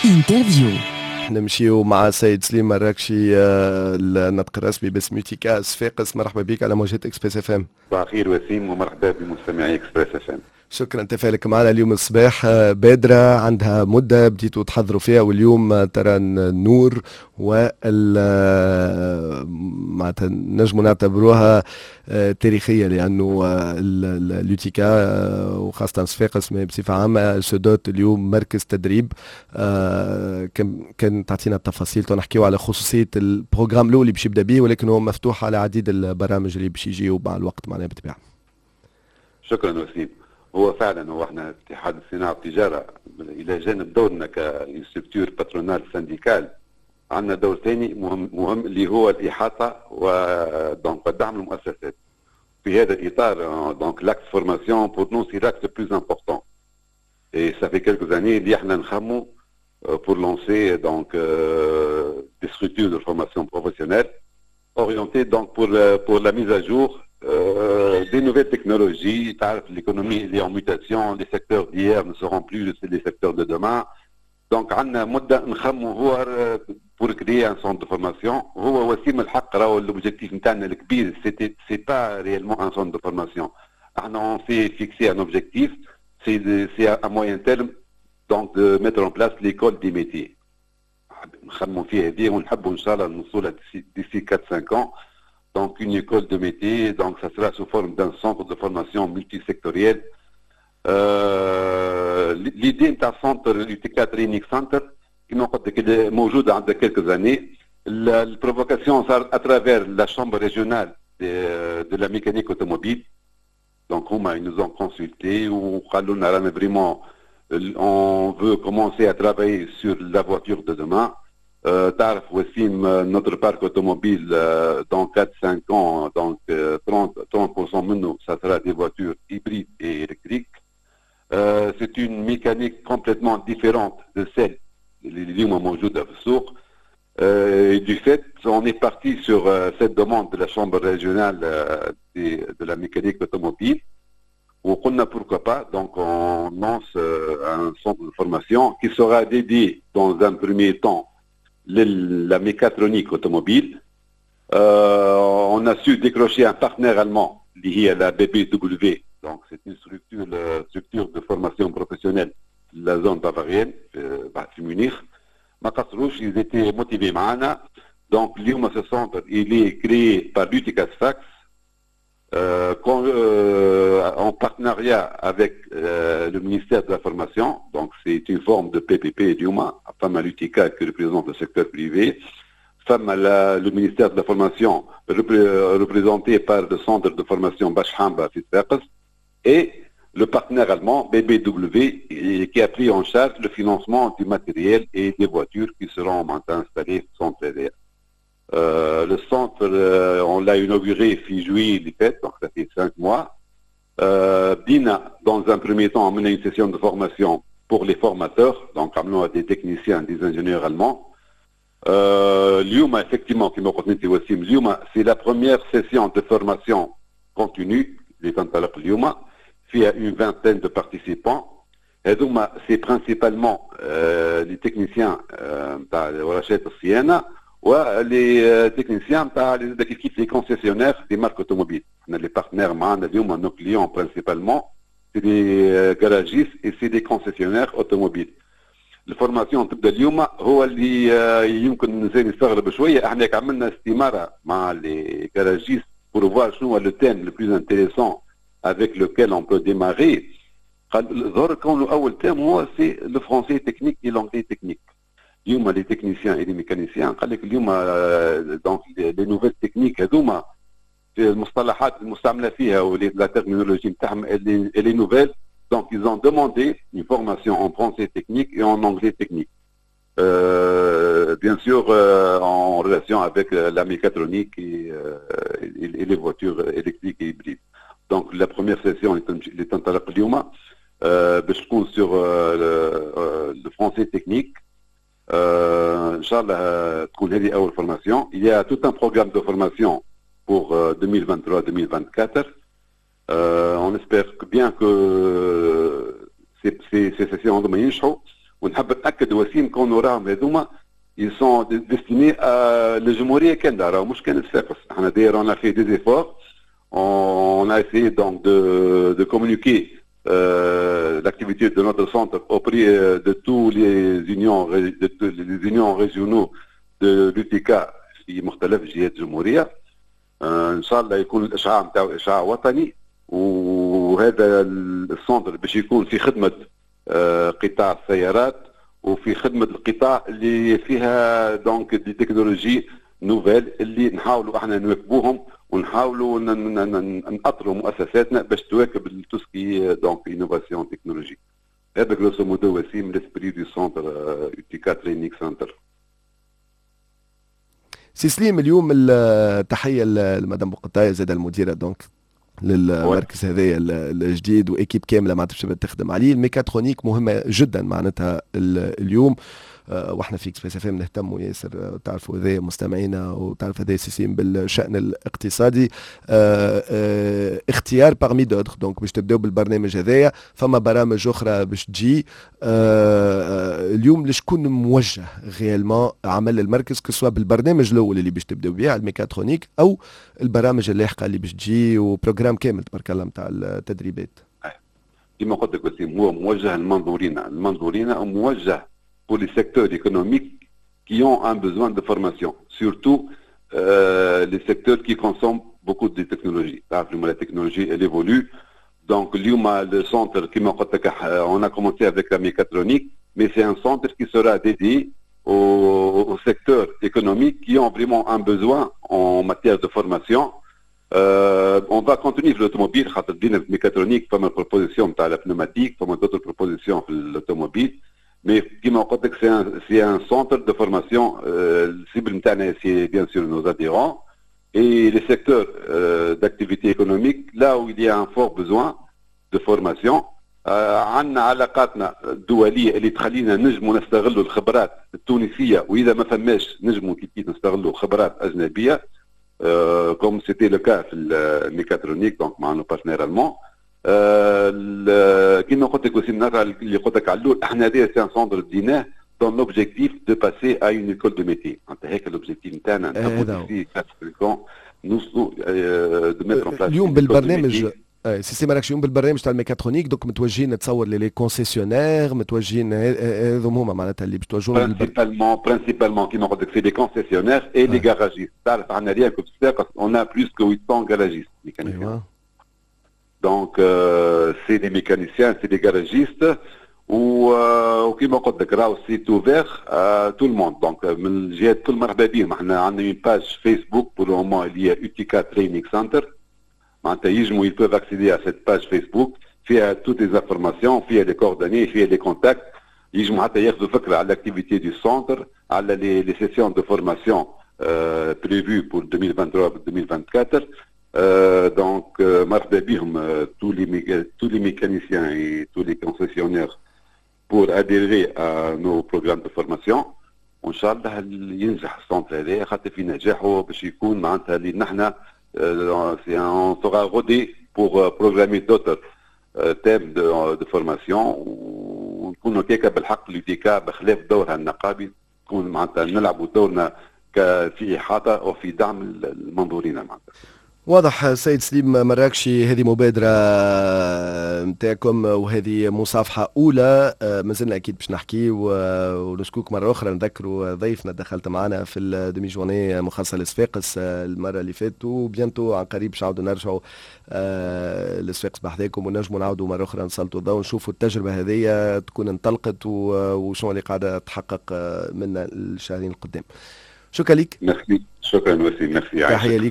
Interview. نمشيو مع السيد سليم مراكشي، الناطق الرسمي باسم UTICA صفاقس. مرحبا بك على موجات Express FM. صباح الخير وسيم، ومرحبا بمستمعي Express FM. شكرا تفاعلك معنا اليوم الصباح. بادرة عندها مدة بديتوا تحضروا فيها، واليوم ترى النور، وال معناتها نجموا نعتبروها تاريخية، لأنه l'UTICA وخاصة صفاقس بصفة عامة se dote اليوم مركز تدريب. كان تعطينا التفاصيل، نحكيو على خصوصية ال programme الأول اللي باش يبدا به، ولكن هو مفتوح على عديد البرامج اللي باش يجيو مع الوقت معناها بالطبيعة. شكرا وسيم. هو فعلا هو احنا اتحاد الصناعة والتجارة الى جانب دورنا ك structure patronale syndicale، عندنا دور ثاني مهم مهم اللي هو الاحاطة و donc دعم المؤسسات. في هذا الاطار، donc l'axe formation pour nous c'est l'axe le plus important et ça fait quelques années اللي احنا نخمو pour lancer donc des structures de formation professionnelle orientées donc pour la mise à jour des nouvelles technologies. L'économie est en mutation, les secteurs d'hier ne seront plus les secteurs de demain. Donc عندنا مدة نخمو هو pour créer un centre de formation. هو وسيم الحق راهو l'objectif نتاعنا الكبير c'est pas réellement un centre de formation. احنا on s'est fixé un objectif، c'est à moyen terme donc de mettre en place l'école des métiers. نخمو فيها هذه ونحبوا ان شاء الله نوصلها d'ici 4 5 ans. Donc une école de métier, donc ça sera sous forme d'un centre de formation multisectoriel. L'idée نتاع centre UTICA Training Center كما قلت لك موجودة عندها quelques années. ال provocation صار à travers la chambre régionale de la mécanique automobile. Donc هما ils nous ont consulté وقالوا لنا رانا vraiment on veut commencer à travailler sur la voiture de demain. تعرف وسيم، notre parc automobile dans 4-5 ans, donc 30% منه ça sera des voitures hybrides et électriques. C'est une mécanique complètement différente de celle اللي اليوم موجودة في السوق. Et du fait, on est parti sur cette demande de la Chambre régionale de la mécanique automobile. وقلنا pourquoi pas, donc on lance un centre de formation qui sera dédié dans un premier temps la mécatronique automobile. On a su décrocher un partenaire allemand lié à la BBW, donc c'est une structure de formation professionnelle de la zone bavarienne, في Munich. ما قصروش، ils étaient motivés معنا. Donc اليوم ce centre il est créé par l'UTICA Sfax en partenariat avec le ministère de la Formation, donc c'est une forme de PPP اليوم، فما l'UTICA qui représente le secteur privé، فما le ministère de la Formation représenté par le centre de formation باش حامبة في صفاقس et le partenaire allemand BBW qui a pris en charge le financement du matériel et des voitures qui seront maintenant installées au centre هذا. Le centre, on l'a inauguré في juillet اللي فات, donc ça fait 5 mois. بدينا dans un premier temps عملنا une session de formation pour les formateurs, donc عملوها des techniciens, des ingénieurs allemands. اليوم effectivement كما قلت انت وسيم، اليوم c'est la première session de formation continue اللي تنطلق اليوم، فيها une vingtaine de participants. هذوما c'est principalement les techniciens نتاع ورشات الصيانة و les techniciens نتاع كيف كيف les concessionnaires des marques automobiles. احنا les partenaires معانا اليوم، nos clients principalement c'est des garagistes et c'est des concessionnaires automobiles. ال formation تبدا اليوم. هو اللي يمكن الانسان يستغرب شويه، احنا عملنا استماره مع les garagistes pour voir شنو هو le thème le plus intéressant avec lequel on peut démarrer. قال ظهر كونه اول thème هو c'est le français technique et l'anglais technique. اليوم les techniciens et les mécaniciens قال لك اليوم donc les nouvelles techniques هذوما في المصطلحات المستعملة فيها و la terminologie نتاعهم elle est nouvelle. Donc ils ont demandé une formation en français technique et en anglais technique. Bien sûr en relation avec la mécatronique et les voitures électriques et hybrides. Donc la première session اللي تنطلق اليوم باش تكون sur le français technique. ان شاء الله تكون هذه اول formation. Il y a tout un programme de formation pour 2023-2024. On espère bien que ces sessions هذوما ينجحوا. ونحب نتاكد وسيم كونوا راهم هذوما ils sont destinés à للجمهورية كامله، راهو مش كان صفاقس. احنا d'ailleurs on a fait des efforts, on a essayé donc de communiquer l'activité de notre centre auprès de tous les unions régionaux de l'UTICA في مختلف جهات الجمهوريه. ان شاء الله يكون الاشعاع نتاعو اشعاع وطني، وهذا ال centre باش يكون في خدمة قطاع السيارات وفي خدمة القطاع اللي فيها donc des technologies nouvelles اللي نحاولوا احنا نواكبوهم ونحاولوا نأطروا مؤسساتنا باش تواكب tout ce qui est donc innovation technologique. هذا grosso modo وسيم l'esprit du centre UTICA Training Center. سي سليم، اليوم التحية لمدام بوقطايه زاد المديرة donc للمركز هذايا الجديد و équipe كاملة معناتها باش تخدم عليه. الميكاترونيك مهمة جدا معناتها اليوم، واحنا في Express FM نهتموا ياسر، تعرفوا هذا مستمعينا وتعرف هذا سي سليم، بالشان الاقتصادي. اختيار parmi d'autres، donc باش تبداو بالبرنامج هذايا، فما برامج اخرى باش تجي. اليوم لشكون موجه réellement عمل المركز، que ce soit بالبرنامج الاول اللي باش تبداو به على الميكاترونيك او البرامج اللاحقة اللي باش تجي و programme كامل تبارك الله نتاع التدريبات؟ كما قلت لك وسيم، هو موجه للمنظورين موجه pour les secteurs économiques qui ont un besoin de formation, surtout les secteurs qui consomment beaucoup de technologies. La technologie, elle évolue. Donc, اليوم le centre كيما قلت لك, on a commencé avec la mécatronique, mais c'est un centre qui sera dédié aux secteurs économiques qui ont vraiment un besoin en matière de formation. On va continuer l'automobile, خاطر بدينا في mécatronique, فما proposition تاع la pneumatique, فما d'autres propositions في l'automobile. Mais كيما قلت لك c'est un centre de formation. ال cible نتاعنا c'est bien sûr nos adhérents et les secteurs d'activité économique là où il y a un fort besoin de formation. عندنا علاقاتنا الدولية اللي تخلينا نجموا نستغلوا الخبرات التونسيه، واذا ما فماش نجموا كيف نستغلوا خبرات اجنبيه، comme c'était le cas في ال mécatronique donc مع nos partenaires allemands. كيما قلت لك وسيم، نرجع اللي قلت لك على الاول، احنا هذا c'est un centre بديناه dans l'objectif de passer à une école de métier. انت هيك l'objectif نتاعنا نحبوا نوصلوا de mettre en place اليوم بالبرنامج، سي مراكش، اليوم بالبرنامج تاع ال mécatronique donc متوجهين نتصور les concessionnaires، متوجهين هذوم هما معناتها اللي باش توجهوا؟ principalement كيما قلت لك c'est les concessionnaires et les garagistes. تعرف عندنا rien que في صفاقس on a plus que 800 garagistes mécaniciens. Donc, c'est des mécaniciens, c'est des garagistes. وكما قلت لك راهو c'est ouvert tout le monde، donc من الجهات كل مرحبا بهم. احنا عندنا une page Facebook pour le moment اللي هي UTICA Training Center، معناتها يجموا ils peuvent accéder à cette page Facebook، فيها toutes les informations، فيها les coordonnées، فيها les contacts. يجموا حتى ياخذوا فكرة على l'activité du centre، على les sessions de formation prévues pour 2023 2024. Donc مرحبا بهم tous les mécaniciens et tous les concessionnaires pour adhérer à nos programmes de formation. وان شاء الله ينجح ال centre هذا، خاطر في نجاحه باش يكون معناتها اللي نحن on sera rodé pour programmer d'autres thèmes de formation، ونكونوا كيكا بالحق l'UTICA بخلاف دورها النقابي تكون معناتها نلعبوا دورنا في احاطة وفي دعم المنظورين معناتها. واضح سيد سليم مراكشي، هذه مبادرة نتاعكم وهذه مصافحة أولى. مازلنا أكيد باش نحكي ونشكوك مرة أخرى. نذكروا ضيفنا دخلت معنا في ال demi-journée مخصصة لصفاقس المرة اللي فاتت، و bientôt عن قريب باش نعاودوا نرجعوا لصفاقس بحذاكم ونجموا نعاودوا مرة أخرى نسلطوا الضوء ونشوفوا التجربة هذه تكون انطلقت وشنو اللي قاعدة تحقق من الشهرين القدام. شكرا لك. ميرسي، شكرا وسيم، ميرسي. تحية لك.